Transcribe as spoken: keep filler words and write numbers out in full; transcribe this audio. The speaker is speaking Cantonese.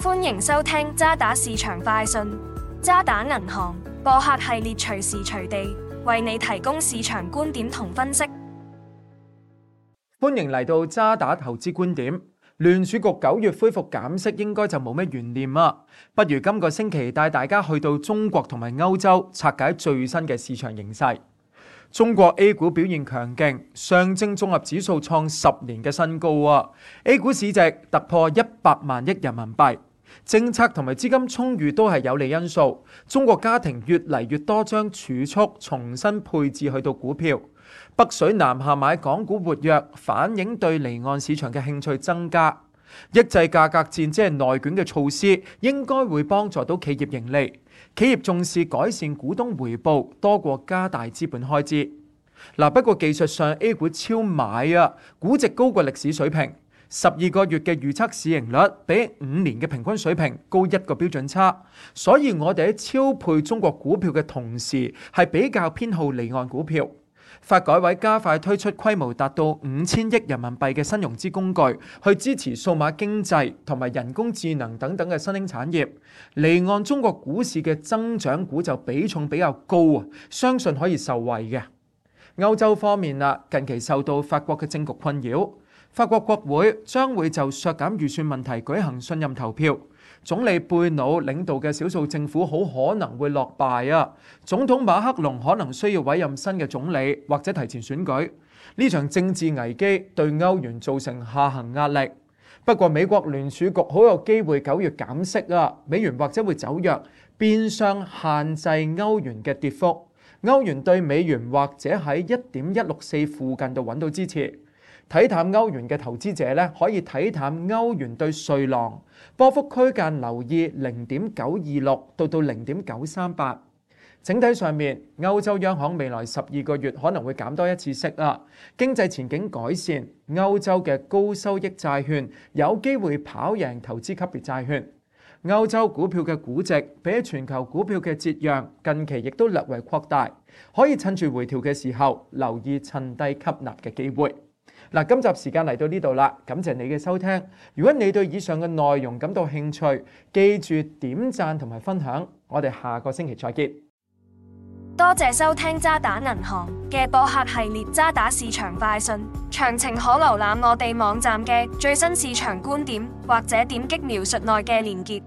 歡迎收聽渣打市場快訊。渣打銀行播客系列隨時隨地為你提供市場觀點同分析。歡迎嚟到渣打投資觀點。聯儲局九月恢復減息應該就冇咩懸念啊，不如今個星期帶大家去到中國同埋歐洲拆解最新嘅市場形勢。中國 A 股表現強勁，上證綜合指數創十年嘅新高啊 ！A 股市值突破一百萬億人民幣，政策同埋資金充裕都係有利因素。中國家庭越嚟越多將儲蓄重新配置去到股票，北水南下買港股活躍，反映對離岸市場嘅興趣增加。抑制價格戰即係內卷嘅措施，應該會幫助到企業盈利。企業重視改善股東回報多過加大資本開支。嗱，不過技術上 A 股超買啊，估值高過歷史水平，十二個月嘅預測市盈率比五年嘅平均水平高一個標準差，所以我哋喺超配中國股票嘅同時，係比較偏好離岸股票。發改委加快推出規模達到五千億人民幣嘅新融資工具，去支持數碼經濟同埋人工智能等等嘅新興產業。離岸中國股市嘅增長股就比重比較高啊，相信可以受惠嘅。歐洲方面啦，近期受到法國嘅政局困擾，法國國會將會就削減預算問題舉行信任投票。總理貝努領導嘅少數政府好可能會落敗啊！總統馬克龍可能需要委任新嘅總理或者提前選舉。呢場政治危機對歐元造成下行壓力。不過美國聯儲局好有機會九月減息啊，美元或者會走弱，變相限制歐元嘅跌幅。歐元對美元或者喺一點一六四附近度揾到支持。睇淡歐元嘅投資者咧，可以睇淡歐元對瑞郎，波幅區間留意零點九二六到到零點九三八。整體上面，歐洲央行未來十二個月可能會減多一次息啊。經濟前景改善，歐洲嘅高收益債券有機會跑贏投資級別債券。歐洲股票嘅估值比起全球股票嘅折讓，近期亦都略為擴大，可以趁住回調嘅時候留意趁低吸納嘅機會。嗱，今集時間嚟到呢度啦，感謝你嘅收聽。如果你對以上嘅內容感到興趣，記住點讚同埋分享。我哋下個星期再見。多謝收聽渣打銀行嘅播客系列渣打市場快訊，詳情可瀏覽我哋網站嘅最新市場觀點，或者點擊描述內嘅連結。